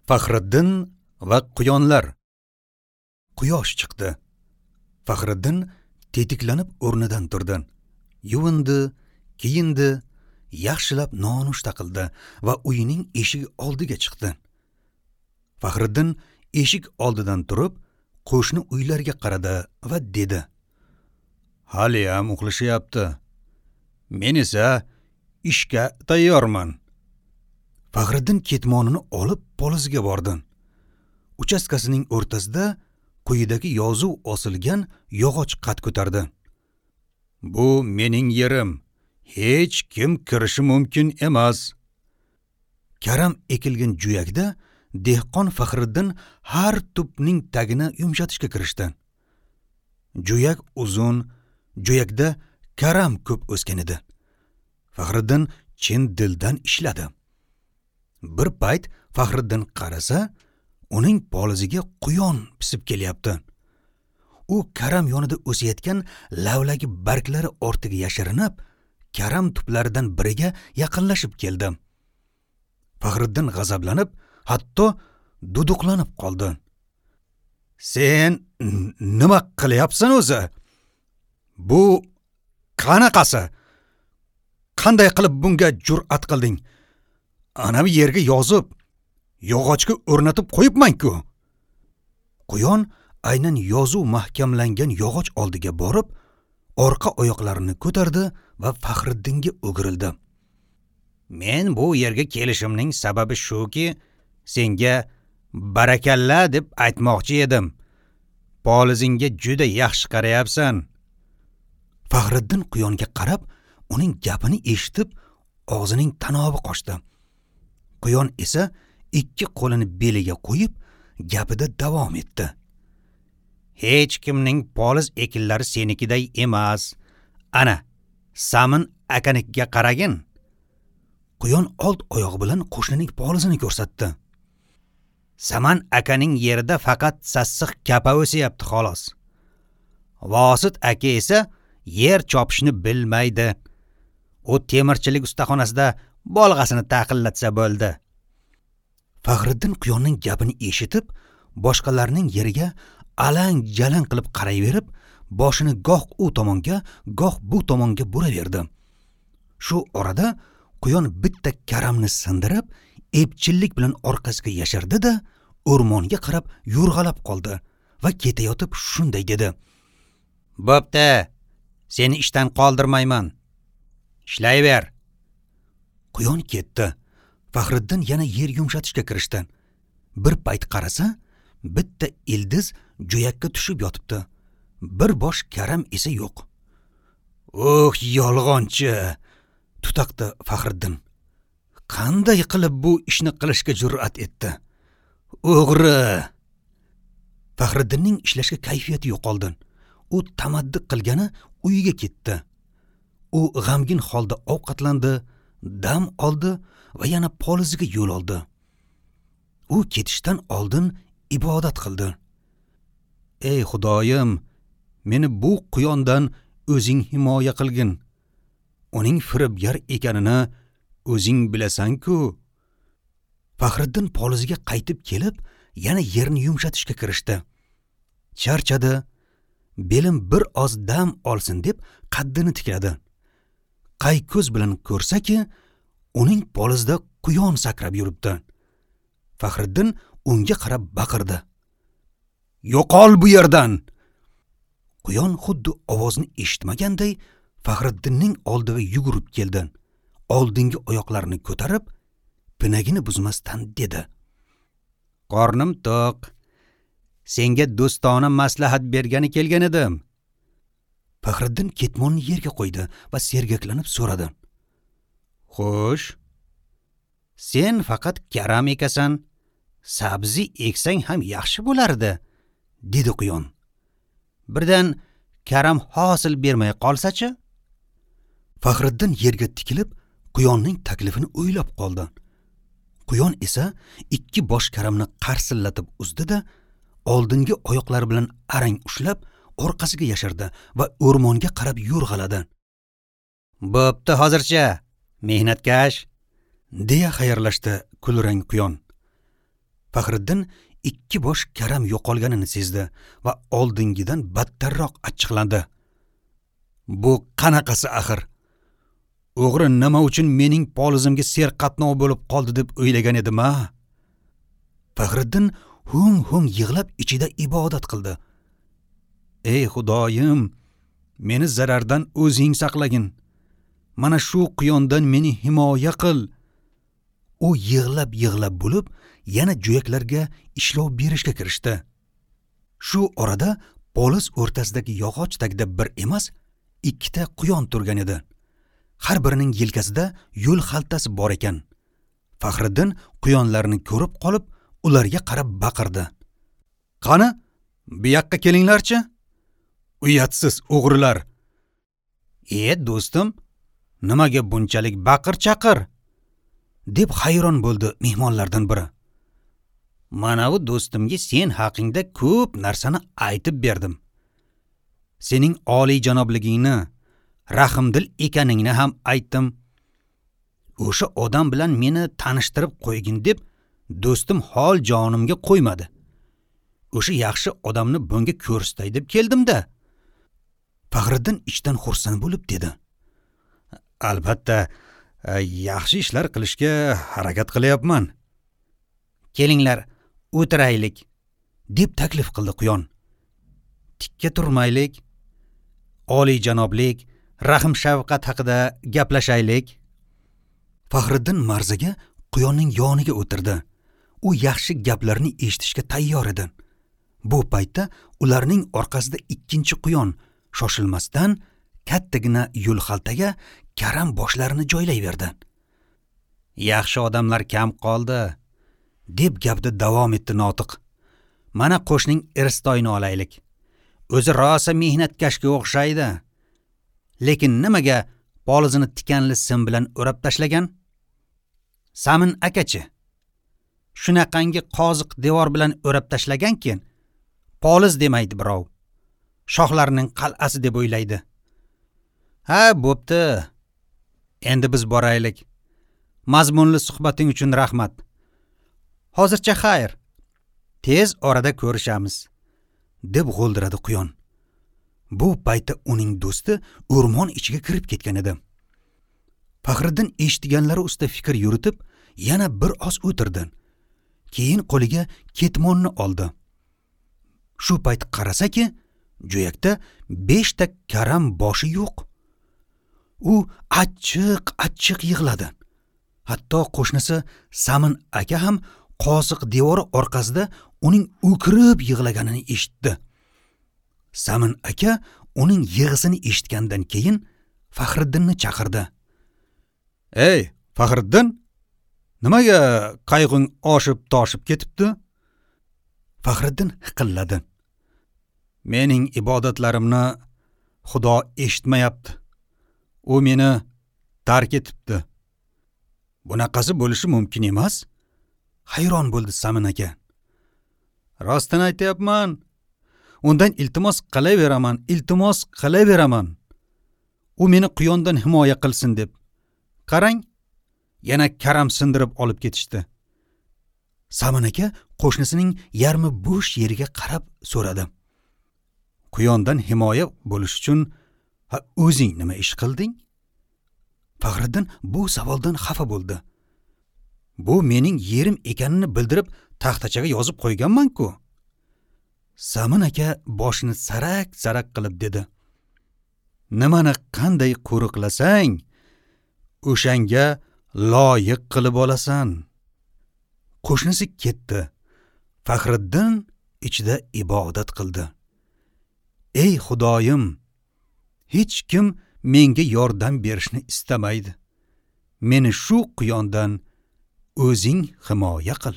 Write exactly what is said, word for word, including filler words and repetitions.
Faxriddin va quyonlar. Quyosh chiqdi. Faxriddin tetiklanib o'rnidan turdi. Yuvindi, kiyindi, yaxshilab nonushta qildi va uyining eshigi oldiga chiqdi. Faxriddin eshik oldidan turib, qo'shni uylarga qaradi va dedi: "Haliyam uxlashyapti. Men esa ishga tayyorman." Faxriddin ketmonini olib polizga bordi. Uchastkasining o'rtasida quyidagi yozuv osilgan yog'och qad ko'tardi. "Bu mening yerim. Hech kim kirishi mumkin emas." Karam ekilgan juyakda dehqon Faxriddin har tupning tagini yumshatishga kirishdi. Juyak uzun, juyakda karam ko'p o'sgan edi. Faxriddin chin dildan ishladi. Bir payt Faxriddin qarasa, uning poliziga quyon pisib kelyapti. U karam yonida o'sayotgan lavlagi barglari ortiga yashirinib, karam tuplaridan biriga yaqinlashib keldi. Faxriddin g'azablanib, hatto duduqlanib qoldi. "Sen nima qilyapsan o'zi? Bu qanaqasi? Qanday qilib bunga jur'at qilding? Ana bu yerga yozib, yog'ochga o'rnatib qo'yibman-ku." Quyon aynan yozuv mahkamlangan yog'och oldiga borib, orqa oyoqlarini ko'tardi va Faxriddinga o'girildi. "Men bu yerga kelishimning sababi shuki, senga barakalla deb aytmoqchi edim. Polizingga juda yaxshi qarayapsan." Faxriddin quyonga qarab, uning gapini eshitib, og'zining tanobi qochdi. Quyon esa ikki qo'lini beliga qo'yib, gapida davom etdi. "Hech kimning poliz ekinlari senikiday emas. Ana, Samin akanikiga qaragin." Quyon old oyog'i bilan qo'shnining polizini ko'rsatdi. "Saman akaning yerida faqat sassiq kapa o'syapti xolos. Vosit aka esa yer chopishni bilmaydi. U temirchilik ustaxonasida bolg'asini taqillatsa bo'ldi." Faxriddin quyonning gapini eshitib, boshqalarning yeriga alang-jalang qilib qarayverib, boshini goh u tomonga, goh bu tomonga buraverdi. Shu orada quyon bitta karamni sindirib, epchillik bilan orqasiga yashirdi-da, o'rmonga qarab yo'rg'alab qoldi va ketayotib shunday dedi: "Bo'pti, seni ishdan qoldirmayman. Ishlayver." Quyon ketdi. Faxriddin yana yer yumshatishga kirishdi. Bir payt qarasa, bitta ildiz jo'yakka tushib yotibdi. Bir bosh karam esa yo'q. "Oh, yolg'onchi!" tutaqdi Faxriddin. "Qanday qilib bu ishni qilishga jur'at etdi? O'g'ri!" Faxriddinning ishlashga kayfiyati yo'qoldi. U tamaddi qilgani uyiga ketdi. U g'amgin holda ovqatlandi, dam oldi va yana poliziga yo'l oldi. U ketishdan oldin ibodat qildi. "Ey Xudoyim, meni bu quyondan o'zing himoya qilgin. Uning firibgar ekanini o'zing bilasan-ku." Faxriddin poliziga qaytib kelib, yana yerni yumshatishga kirishdi. Charchadi, belim bir oz dam olsin deb qaddini tikladi. Qay ko'z bilan ko'rsaki, uning polizida quyon sakrab yuribdi. Faxriddin unga qarab baqirdi: "Yo'qol bu yerdan!" Quyon xuddi ovozni eshitmaganday Faxriddinning oldiga yugurib keldi. Oldingi oyoqlarini ko'tarib, pinagini buzmasdan dedi: "Qornim to'q. Senga do'stona maslahat bergani kelgan edim." Faxriddin ketmonni yerga qo'ydi va sergaklanib so'radi: "Xo'sh, sen faqat karam ekasan, sabzi eksang ham yaxshi bo'lardi," dedi quyon. "Birdan karam hosil bermay qolsa-chi?" Faxriddin yerga tikilib, quyonning taklifini o'ylab qoldi. Quyon esa ikki bosh karamni qarsillatib uzdi-da, oldingi oyoqlari bilan arang ushlab, orqasiga yashirdi va o'rmonga qarab yo'rg'aladi. "Bo'pti hozircha, mehnatkash," deya xayrlashdi kulrang quyon. Faxriddin ikki bosh karam yo'qolganini sezdi va oldingidan battarroq achchiqlandi. Bu qanaqasi axir? O'g'ri nima uchun mening polizimga serqatnov bo'lib qoldi deb o'ylagan edim-a? Faxriddin hung-hung yig'lab ichida ibodat qildi. Ey Xudoyim, meni zarardan o'zing saqlagin. Mana shu quyondan meni himoya qil. U yig'lab-yig'lab bo'lib, yana jo'yaklarga ishlov berishga kirishdi. Shu orada poliz o'rtasidagi yog'och tagida bir emas, ikkita quyon turgan edi. Har birining yelkasida yo'l xaltasi bor ekan. Faxriddin quyonlarni ko'rib qolib, ularga qarab baqirdi. Qani, bu yoqqa kelinglarchi? Uyatsiz o'g'rilar. E, do'stim, nimaga bunchalik baqir-chaqir? Deb hayron bo'ldi mehmonlardan biri. Mana bu do'stimga sen haqingda ko'p narsani aytib berdim. Sening oliy janobligingni, rahimdil ekaningni ham aytdim. O'sha odam bilan meni tanishtirib qo'ygin deb do'stim hol jonimga qo'ymadi. O'sha yaxshi odamni bunga ko'rsatay deb keldim-da. Faxriddin ichdan xursand bo'lib dedi. Albatta, yaxshi ishlar qilishga harakat qilyapman. Kelinglar, o'tiraylik, deb taklif qildi quyon. Tikka turmaylik, oliy janoblik, rahm shafqat haqida gaplashaylik. Faxriddin marzaga quyonning yoniga o'tirdi. U yaxshi gaplarni eshitishga tayyor edi. Bu paytda ularning orqasida ikkinchi quyon shoshilmasdan kattagina yo'l xaltaga karam boshlarini joylayverdi. Yaxshi odamlar kam qoldi, deb gapni davom etdi notiq. Mana qo'shning Irstoyni olaylik. O'zi rosa mehnatkashga o'xshaydi. Lekin nimaga polizini tikanli sim bilan o'rab tashlagan? Samin akachi shunaqangi qoziq devor bilan o'rab tashlaganki, poliz demaydi birov. Shohlarning qal'asi deb o'ylaydi. Ha, bo'pti. Endi biz boraylik. Mazmunli suhbating uchun rahmat. Hozircha xayr. Tez orada ko'rishamiz, deb g'o'ldiradi quyon. Bu paytda uning do'sti o'rmon ichiga kirib ketgan edi. Faxriddin eshitganlari ustida fikr yuritib, yana bir oz o'tirdi. Keyin qo'liga ketmonni oldi. Shu payt qarasaki, jo'yakda beshta karam boshi yo'q. U achchiq-achchiq yig'ladi. Hatto qo'shnisi Samin aka ham qoziq devori orqasida uning o'kirib yig'laganini eshitdi. Samin aka uning yig'isini eshitgandan keyin Faxriddinni chaqirdi. Ey, Faxriddin, nimaga qayg'ung oshib toshib ketibdi? Faxriddin hiqilladi. Mening ibodatlarimni Xudo eshitmayapti. U meni tark etibdi. Bunaqasi bo'lishi mumkin emas. Hayron bo'ldi Samin aka. Rostini aytyapman. Undan iltimos qilaveraman, iltimos qilaveraman. U meni quyondan himoya qilsin deb. Qarang, yana karam sindirib olib ketishdi. Samin aka qo'shnisining yarmi bo'sh yeriga qarab so'radi. Quyondan himoya bo'lish uchun ha o'zing nima ish qilding? Faxriddin bu savoldan xafa bo'ldi. Bu mening yerim ekanini bildirib taxtachaga yozib qo'yganman-ku. Samin aka boshini sarak-sarak qilib dedi. Nimani qanday qo'riqlasang, o'shanga loyiq qilib olasan. Qo'shnisi ketdi. Faxriddin ichida ibodat qildi. Ey Xudoyim, hech kim menga yordam berishni istamaydi. Meni shu quyondan o'zing himoya qil.